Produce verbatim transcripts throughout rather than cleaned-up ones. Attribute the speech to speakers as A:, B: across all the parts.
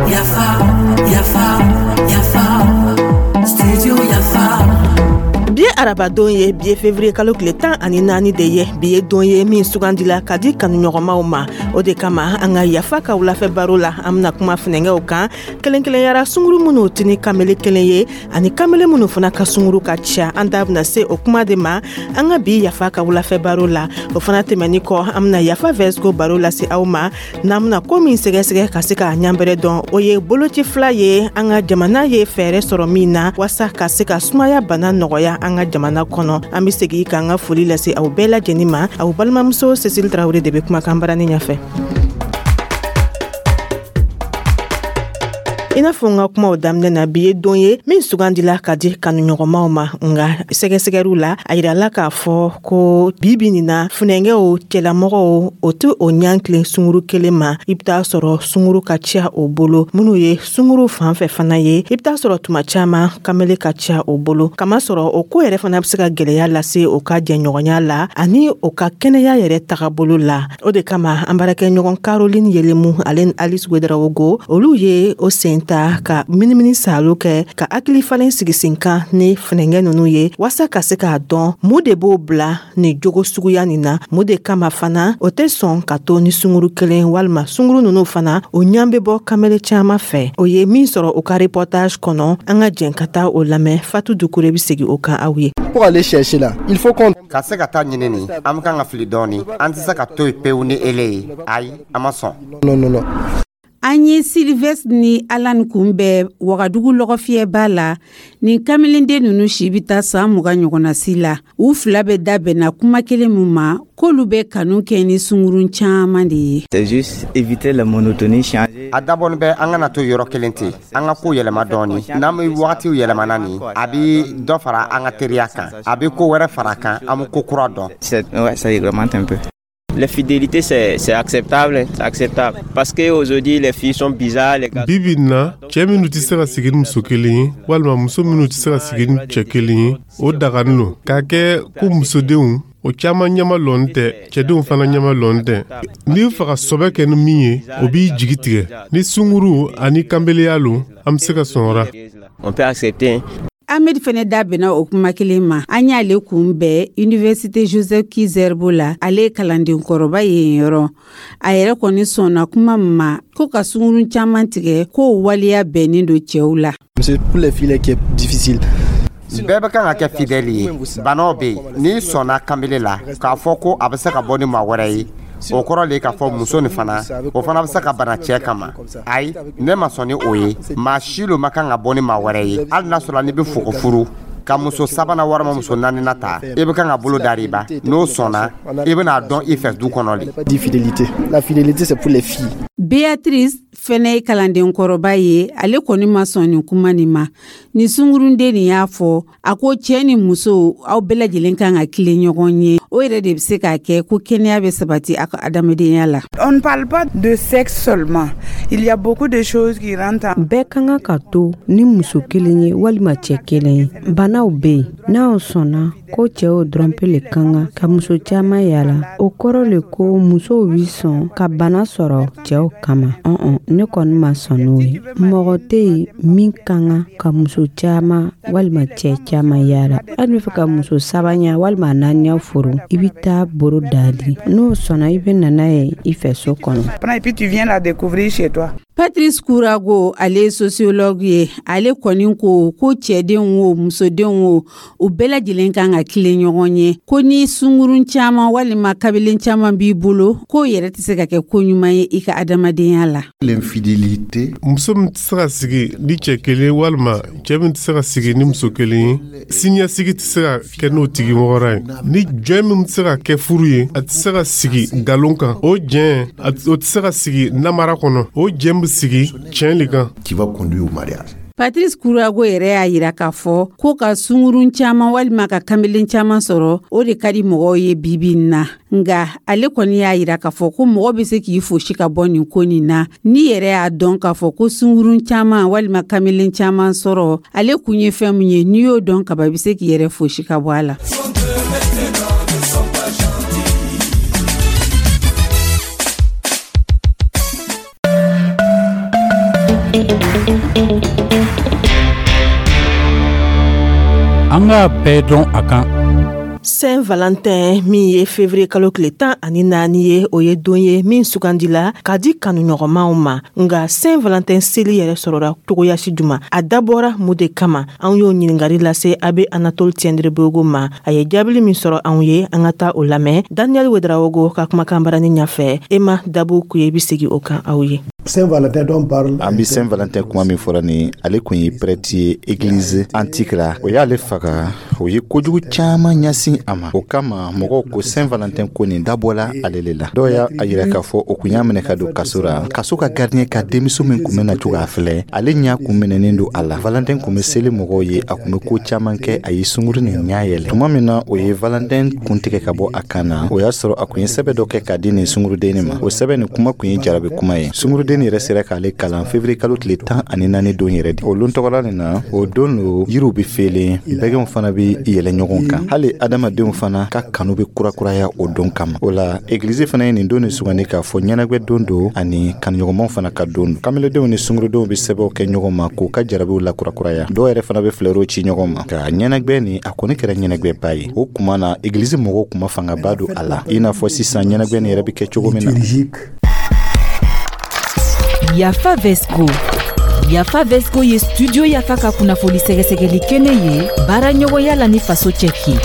A: Yafa, yafa, yafa, studio Yafa.
B: Bi ye arabadon ye, bi ye fevrier kalo tile tan ani naani de ye. Bi ye don ye min sugandila ka di kanuɲɔgɔnmaw ma. O de kama, an ka Yafa ka wulafɛ baro la, an bena kuma funɛngɛw kan, kelen kelenyara sunguru minnu tɛ ni kamele kelen ye ani kamele minnu fana ka sunguru ka ca. An da bena se o kuma de ma an ka bi Yafa ka wulafɛ baro la. O fana tɛmɛni kɔ, an bena Yafa vɛsiko baro lase aw ma. N'an bena ko min sɛgɛsɛgɛ ka se k'a ɲanbɛrɛ dɔn, o ye boloci fila ye an ka jamana ye fɛɛrɛ sɔrɔ min na waasa ka se ka sumaya bana nɔgɔya an ka jamana kɔnɔ. An be segi k'an ka foli lase aw bɛɛ lajɛnin ma. Aw balimamuso Cécile Tarawele de be kumakan barani ɲɛfɛ. I n'a fɔ n ka kumaw daminɛ na, bi ye don ye min sugandila ka di kanuɲɔgɔnmaw ma. Nga sɛgɛsɛgɛriw la, a yirala k'a fɔ ko bi bi nin na, funɛngɛw cɛlamɔgɔw o tɛ o ɲan tilen sunguru kelen ma. I bɛ taa sɔrɔ sunguru ka ca o bolo. Minnu ye sunguru fan fɛ fana ye, i bɛ taa sɔrɔ tuma caman kamele ka ca o bolo, kamasɔrɔ o ko yɛrɛ fana bɛ se ka gwɛlɛya lase o ka jɛɲɔgɔnya la ani o ka kɛnɛya yɛrɛ tagabolo la. O de kama, an baarakɛɲɔgɔn Caroline Yelemu ale ni Alice Wedarawogo, olu ye o sen ta ka minimini salo kɛ ka hakili falen sigi sen kan ni funɛngɛ nunu ye, waasa ka se k'a dɔn mun de b'o bila ni jogo suguya nin na, mun de kama fana o tɛ sɔn ka to ni sunguru kelen, walima sunguru nunu fana o ɲan bɛ bɔ kamele caaman fɛ. O ye min sɔrɔ o ka reportage kɔnɔ, an ka jɛn ka taa o lamɛn. Fatu Dukure be segi o kan aw ye.
C: Pour aller chercher là, il faut qu'on
D: Ka se ka taa ɲini nin, an be kan ka fili dɔɔni. An tɛ se ka to yen pewu ni ele ye. Ayi, an ma sɔn.
C: Non, non, non.
E: An ye Sylvestre ni Alan kunbɛn Wagadugu lɔgɔfiyɛba la. Nin kamelenden ninnu si bɛ taa san mugan ɲɔgɔnna si la. U fila bɛ da bɛnna kuma kelen min ma, k'olu bɛ kanu kɛ ni sungurun caman de ye.
F: C'est juste éviter la monotonie, changer.
D: A dabɔnin bɛ an kana to yɔrɔ kelen ten, an ka ko yɛlɛma dɔɔni. N'an bɛ wagatiw yɛlɛmana nin, a bɛ dɔ fara an ka teriya kan, a bɛ ko wɛrɛ fara a kan, an bɛ ko kura dɔn.
F: C'est- Ouais, ça augmente un peu.
G: L'infidélité, c'est c'est acceptable, c'est acceptable. Parce qu'aujourd'hui, les filles sont bizarres, les gars.
H: Bi bi in na, cɛɛ minnu tɛ se ka sigi ni muso kelen ye, walima muso minnu tɛ se ka sigi ni cɛ kelen ye, o dagani lo k'a kɛ ko musodenw o caaman ɲɛma lɔn tɛ, cɛdenw fana ɲɛma lɔn tɛ. N'i bɛ fɛ ka sɔbɛ kɛ ni min ye, o b'i jigi tigɛ. Ni sunguru ani kanbeleya lo, an be se ka sɔn o ra.
G: On peut accepter.
E: Ahmed fɛnɛ da bɛnna o kuma kelen ma. An y'ale kunbɛn Université Joseph Ki-Zerbo la. Ale ye kalanden kɔrɔba ye yen yɔrɔ. A yɛrɛ kɔni sɔnna kuma min ma, ko ka sungurun caman tigɛ, k'o waleya bɛnnen don cɛw la.
C: C'est pour les filles qui est difficile.
D: Bɛɛ bɛ kan ka kɛ fidèle ye. Banaw bɛ yen, n'i sɔnna kanbele la k'a fɔ ko a bɛ se ka bɔ ni maa wɛrɛ ye, o kɔrɔ le k'a fɔ muso nin fana, o fana bɛ se ka bana cɛɛ kama. Ayi, ne ma sɔn ni o ye. Maa si lo ma kan ka bɔ ni maa wɛrɛ ye, hali n'a sɔrɔ n'i bɛ fo ko furu ka muso sabanan walima muso naaninan ta, i bɛ kan ka bolo dariba. N'o sɔnna, i bɛna dɔn i fɛ du kɔnɔ le.
C: Pas dit fidélité. La fidélité, c'est pour les filles.
E: Beatrice fɛnɛ ye kalanden kɔrɔba ye. Ale kɔni ma sɔn nin kuma nin ma. Nin sungurunden nin y'a fɔ, a ko cɛɛ ni muso, aw bɛɛ lajɛlen kan ka tilen ɲɔgɔn ye. O yɛrɛ de bɛ se k'a kɛ ko kɛnɛya bɛ sabati a ka adamadenya la.
I: On ne parle pas de sexe seulement. Il y a beaucoup de choses qui rentrent en
J: Bɛɛ ka kan ka to ni muso kelen ye walima cɛ kelen ye. Banaw bɛ yen. N'aw sɔnna ko cɛw dɔrɔn pe le ka kan ka muso caman yala, o kɔrɔ le ko musow bi sɔn ka bana sɔrɔ cɛw kama. Ɔn, ne kɔni ma sɔn n'o ye. Mɔgɔ tɛ yen min ka kan ka muso caman walima cɛ caman yala. Hali n'i fɛ ka muso saba ɲa walima naani furu, i bɛ taa boro dali. N'o sɔnna, i bɛ na n'a ye i fɛ so kɔnɔ.
I: Et puis tu viens la découvrir chez toi.
E: Patrice Kurago, ale ye sociologue ye. Ale kɔni ko ko cɛdenw o, musodenw o, u bɛɛ lajɛlen kan ka tilen ɲɔgɔn ye. Ko ni sungurun caman walima kabelen caman b'i bolo, k'o yɛrɛ tɛ se ka kɛ ko ɲuman ye i ka adamadenya la.
C: L'infidélité.
H: Muso min tɛ se ka sigi ni cɛ kelen, walima cɛ min tɛ se ka sigi ni muso kelen ye, siniɲɛsigi tɛ se ka kɛ n'o tigi mɔgɔra ye. Ni jɔn min tɛ se ka kɛ furu ye, a tɛ se ka sigi nkalon kan. O jɛn, o tɛ se ka sigi namara kɔnɔ. O jɛn bɛ sigi tiɲɛ le kan.
K: Qui va conduire au mariage.
E: Patrice Kurago yɛrɛ y'a yira k'a fɔ ko ka sungurun caman walima ka kamelen caman sɔrɔ, o de ka di mɔgɔw ye bibi in na. Nga ale kɔni y'a yira k'a fɔ ko mɔgɔ bɛ se k'i fosi ka bɔ nin ko nin na, n'i yɛrɛ y'a dɔn k'a fɔ ko sungurun caman walima kamelen caman sɔrɔ, ale kun ye fɛn min ye, n'i y'o dɔn kaba, i bɛ se k'i yɛrɛ fosi ka bɔ a la.
K: b'a bɛɛ dɔn a kan.
B: Saint Valentin min ye février kalo tile tan ani naani ye, o ye don ye min sugandila ka di kanuɲɔgɔnmaw ma. Nga Saint Valentin seli yɛrɛ sɔrɔra cogoyasi juma? A dabɔra mun de kama? An y'o ɲiningari lase abbé Anatole Tiendrebogo ma. A ye jaabili min sɔrɔ anw ye, an ka taa o lamɛn Daniel Wedrawogo ka kumakan barani ɲafɛ. Ema Dabu Kuye bi segi o kan aw ye.
L: An bi Saint Valentin kuma min fɔra ni, ale kun ye prêtre ye église antique la. O y'ale faga, o ye kojugu caaman ɲasin a ma. O kama mɔgɔw ko Saint Valentin ko nin dabɔla ale le la. Dɔw y'a yira k'a fɔ o kun y'a minɛ ka don kaso ra. Kaso ka gardien ka denmuso min kun bɛna to k'a filɛ, ale ɲa kun minɛnen don a la. Valentin kun bɛ seli mɔgɔw ye, a kun bɛ ko caaman kɛ. A ye sunguru nin ɲa yɛlɛ. Tuma min na o ye Valentin kun tigɛ ka bɔ a kan na, o y'a sɔrɔ a kun ye sɛbɛ dɔ kɛ k'a di nin sungurudennin ma. O sɛbɛ nin kuma kun ye jarabi kuma ye. Sunguruden yɛrɛ sera k'ale kalan février kalo tile tan ani naani don yɛrɛ di. O lon tɔgɔla nin na, o don lo yiriw be felen, bɛgɛnw fana be yɛlɛ ɲɔgɔn kan, hali adamadenw fana ka kanu be kurakuraya o don kama. O la egilizi fana ye nin don ni sugandi k'a fɔ ɲɛnagwɛ don don ani kanuɲɔgɔnmaw fana ka don don. Kameledenw ni sungurudenw be sɛbɛw kɛ ɲɔgɔn ma k'u ka jarabiw lakurakuraya. Dɔw yɛrɛ fana be filɛriw ci ɲɔgɔn ma ka ɲɛnagwɛ. Ni a kɔni kɛra ɲɛnagwɛba ye, o kuma na egilizi mɔgɔw kuma fangaba don a la, i n'a fɔ sisan ɲɛnagwɛ nin yɛrɛ be kɛ cogo min na.
M: Yafa Vesco. Yafa Vesco ye Studio Yafa ka kunnafoni sɛgɛsɛgɛli kɛnɛ ye, baara ɲɔgɔnya la ni Faso Cɛki.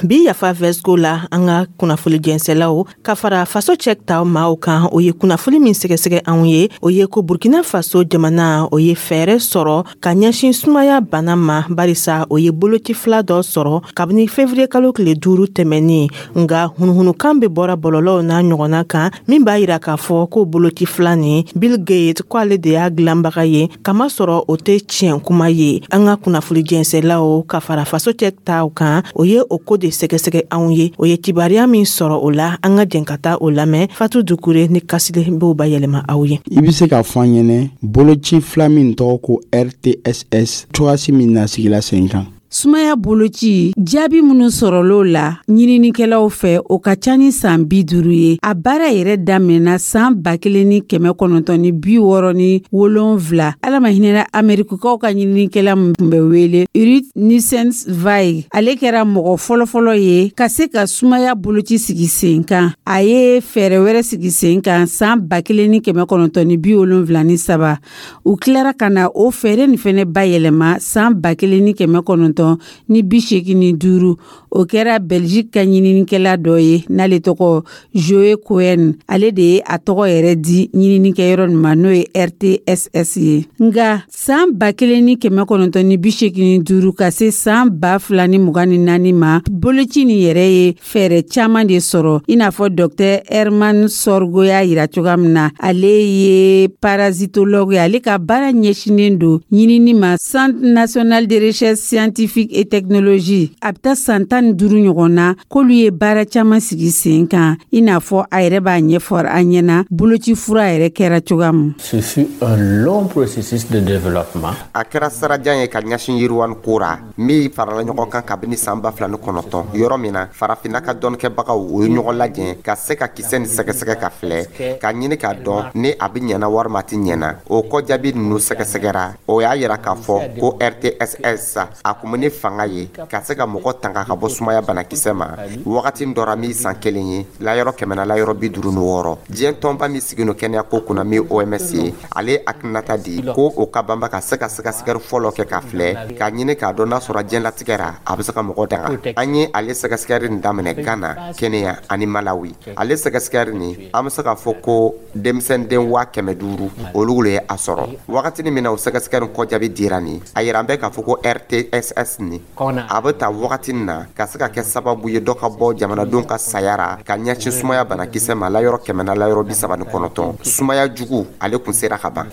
B: Bi Yafa Vesco la, an ka kunnafoli jɛnsɛlaw ka fara Faso Cɛ ta maaw kan, o ye kunnafoli min sɛgɛsɛgɛ anw ye, o ye ko Burkina Faso jamana, o ye fɛɛrɛ sɔrɔ ka ɲɛsin sumaya bana ma, barisa o ye boloci fila dɔ sɔrɔ kabini février kalo tile duuru tɛmɛnin. Nga hunuhunukan be bɔra bɔlɔlɔw n'a ɲɔgɔnna kan min b'a yira k'a fɔ ko boloci fila nin, Bill Gates ko ale de y'a dilanbaga ye, kamasɔrɔ o tɛ tiɲɛ kuma ye. An ka kunnafoli jɛnsɛlaw ka fara Faso Cɛ taw kan, o ye o ko de sɛgɛsɛgɛ anw ye. O ye kibaruya min sɔrɔ o la, an ka jɛn ka taa o lamɛn. Fatu Dukure ni Kasile b'o bayɛlɛma aw ye.
C: I be se k'a fɔ an ɲɛnɛ, boloci fila min tɔgɔ ko R T S S, cogoyasi min na sigila sen kan?
E: Sumaya boloci jaabi minnu sɔrɔl'o la ɲininikɛlaw fɛ, o ka ca ni san bi duuru ye. A baara yɛrɛ daminɛna san ba kelen ni kɛmɛ kɔnɔntɔn ni bi wɔɔrɔ ni wolonfila. Ala ma hinɛna Amerikukaw ka ɲininikɛla min tun bɛ wele Ruth Nussenzweig, ale kɛra mɔgɔ fɔlɔfɔlɔ ye ka se ka sumaya boloci sigi sen kan. A ye fɛɛrɛ wɛrɛ sigi sen kan san ba kelen ni kɛmɛ kɔnɔntɔn ni bi wolonfila ni saba. U tilara ka na o fɛɛrɛ nin fɛnɛ bayɛlɛma san ba kelen ni kɛmɛ kɔnɔntɔn ni bi seegin ni duuru. O kɛra Belgique ka ɲininikɛla dɔ ye n'ale tɔgɔ Joe Cohen. Ale de ye a tɔgɔ yɛrɛ di ɲininikɛyɔrɔ nin ma, n'o ye R T S S ye. Nga san ba kelen ni kɛmɛ kɔnɔntɔn ni bi seegin ni duuru ka se san ba fila ni mugan ni naani ma, boloci nin yɛrɛ ye fɛɛrɛ caman de sɔrɔ, i n'a fɔ Dɔktɛr Herman Sorgo y'a yira cogoya min na. Ale ye parasitologue ye, ale ka baara ɲɛsinen don ɲinini ma Centre national de recherche scientifique et technologie. A bɛ taa san tan ni duuru ɲɔgɔn na k'olu ye baara caman sigi sen kan, i n'a fɔ a yɛrɛ b'a ɲɛfɔ an ɲɛna boloci fura yɛrɛ kɛra cogoya min.
N: Ce fut un long processus de développement.
D: A kɛra sirajan ye ka ɲɛsin yiriwani ko ra min farala ɲɔgɔn kan kabini san ba fila ni kɔnɔntɔn, yɔrɔ min na Farafinna ka dɔnnikɛbagaw o ye ɲɔgɔn lajɛ ka se ka kisɛ ni sɛgɛsɛgɛ ka filɛ ka ɲini k'a dɔn ni a bɛ ɲɛna walima a tɛ ɲɛna. O kɔ, jaabi ninnu sɛgɛsɛgɛra, o y'a yira k'a fɔ ko R T S S a kun bɛ ni fanga ye ka se ka mɔgɔ tanga ka bɔ sumaya banakisɛ ma wagati dɔ ra min san kelen ye layɔrɔ kɛmɛ na layɔrɔ bi duuru ni wɔɔrɔ. Diɲɛ tɔnba min sigi no kɛnɛya ko kunna, min O M S ye, ale hakilinata di ko o ka banba ka se ka sɛgɛsɛgɛli fɔlɔ kɛ ka filɛ ka ɲini k'a dɔn n'a sɔrɔ diɲɛlatigɛ ra a bɛ se ka mɔgɔ danga. An ye ale sɛgɛsɛgɛli nin daminɛ Ghana, Kenya ani Malawi. Ale sɛgɛsɛgɛli nin, an bɛ se k'a fɔ ko denmisɛnden waa kɛmɛ duuru olu le ye a sɔrɔ. Wagatini min na o sɛgɛsɛgɛli kɔ jaabi dira nin, a yira an bɛ k'a fɔ ko R T S S nin a bɛ ta wagati na ka se ka kɛ sababu ye dɔ ka bɔ jamanadenw ka saya ra ka ɲɛsin sumaya banakisɛ ma layɔrɔ kɛmɛ na layɔrɔ bi saba ni kɔnɔntɔn. Sumaya jugu, ale kun sera ka ban.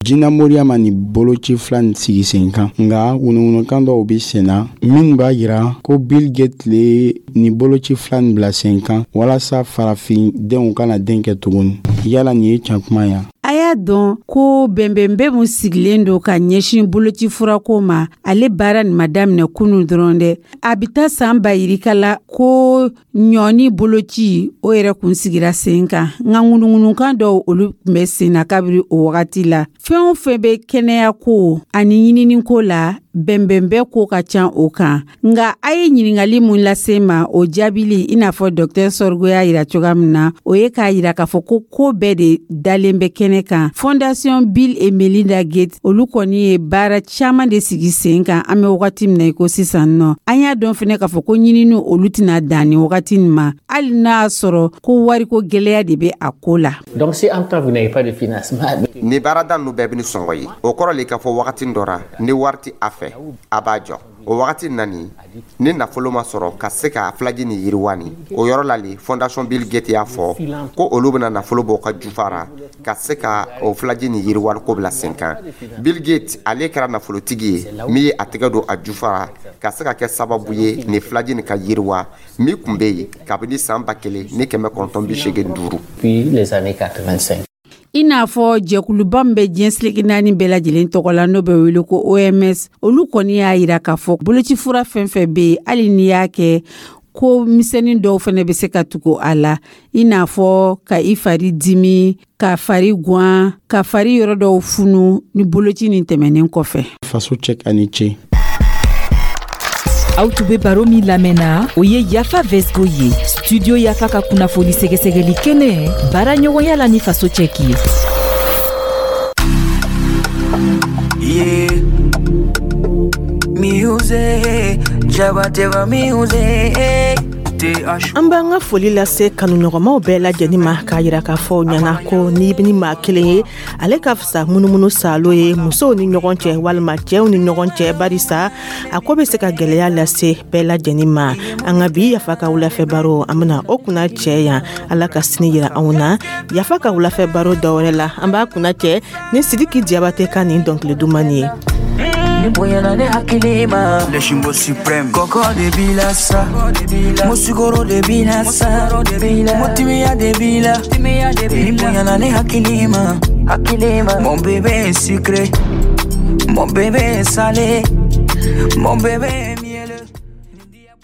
C: Jinɛ moriya ma nin boloci fila nin sigi sen kan, nka ŋunuŋunukan dɔw be sen na minnu b'a yira ko Bill Gates le nin boloci fila nin bila sen kan walasa farafin denw kana den kɛ tuguni. Yala nin ye can kuma ya?
E: A y'a dɔn ko bɛnbɛnbɛn mun sigilen don ka ɲɛsin boloci furako ma, ale baara nin ma daminɛ kunu dɔrɔn dɛ. A bɛ taa san ba yirika la ko ɲɔni boloci o yɛrɛ kun sigira sen kan, nka ŋunuŋunukan dɔw, olu tun bɛ sen na kabiri o wagati la. Fɛn o fɛn bɛ kɛnɛya ko ani ɲininiko la. Bɛnbɛnbɛn ko ka ca o kan. Nga a ye ɲiningali mun lase ma, o jaabili, i n'a fɔ Docteur Sɔrgo y'a yira cogoya min na, o ye k'a yira k'a fɔ ko ko bɛɛ de dalen bɛ kɛnɛ kan. Fondation Bill et Melinda Gates, olu kɔni ye baara caaman de sigi sen kan. An bɛ wagati min na i ko sisan nɔ, an y'a dɔn fɛnɛ k'a fɔ ko ɲinini olu tɛna dan ni wagati nin ma, hali n'a y'a sɔrɔ ko wariko gwɛlɛya de bɛ a ko la.
N: Donc si en temps vous n'avez pas de financement,
D: Ni baarada ninnu bɛɛ bɛ ni sɔngɔ ye, o kɔrɔ le k'a fɔ wagati dɔ ra, ni wari tɛ a fɛ, a b'a jɔ. O wagati nani ni nafolo ma sɔrɔ ka se ka filaji ni yiriwa ni o yɔrɔ la le, Fondation Bill Gates y'a fɔ ko olu bɛna nafolo bɔ ka jufa ra ka se ka o filaji ni yiriwa ko bila sen kan. Bill Gates, ale kɛra nafolotigi ye min ye a tɛgɛ don a jufa ra ka se ka kɛ sababu ye ni filaji nin ka yiriwa min tun bɛ yen kabini san ba kelen ni kɛmɛ kɔnɔntɔn bi seegin duuru.
N: Puis les années quatre-vingt-cinq.
E: I n'a fɔ jɛkuluba min bɛ diɲɛ seleke naani bɛɛ lajɛlen tɔgɔ la, n'o bɛ wele ko O M S, olu kɔni y'a yira k'a fɔ bolocifura fɛn fɛn bɛ yen, hali n'i y'a kɛ, ko misɛnnin dɔw fɛnɛ bɛ se ka tugu a la, i n'a fɔ ka i fari dimi, ka fari guwan, ka fari yɔrɔ dɔw funu ni boloci nin tɛmɛnen kɔfɛ.
C: Faso cɛ ani ce.
M: Aw tun be baro min lamɛnna, o ye Yafa Vesgo ye, Studio Yafa ka kunnafoni sɛgɛsɛgɛli kɛnɛ, baara ɲɔgɔnya la ni Faso cɛki ye.
A: Yeah. Music, Jabateva music.
B: An b'an ka foli lase kanuɲɔgɔnmaw bɛɛ lajɛlen ma, k'a yira k'a fɔ ɲana ko n'i ni maa kelen ye, ale ka fisa munumunu salo ye musow ni ɲɔgɔn cɛ walima cɛw ni ɲɔgɔn cɛ, barisa a ko bɛ se ka gwɛlɛya lase bɛɛ lajɛlen ma. An ka bi Yafa ka wulafɛ baro, an bena o kunna cɛ yan. Ala ka sini yira anw na Yafa ka wulafɛ baro dɔwɛrɛ la. An b'a kunna cɛ ni Sidiki Diyabate ka nin dɔnkili duman ye.
A: Ni bonyana ne hakili ma.
K: Le Chimbo suprême. Kɔkɔ de b'i la sa, musukoro de b'i la sa, motimiya de b'i la. Ni bonyana ne hakili ma. Mon bébé est sucré, mon bébé est salé, mon bébé.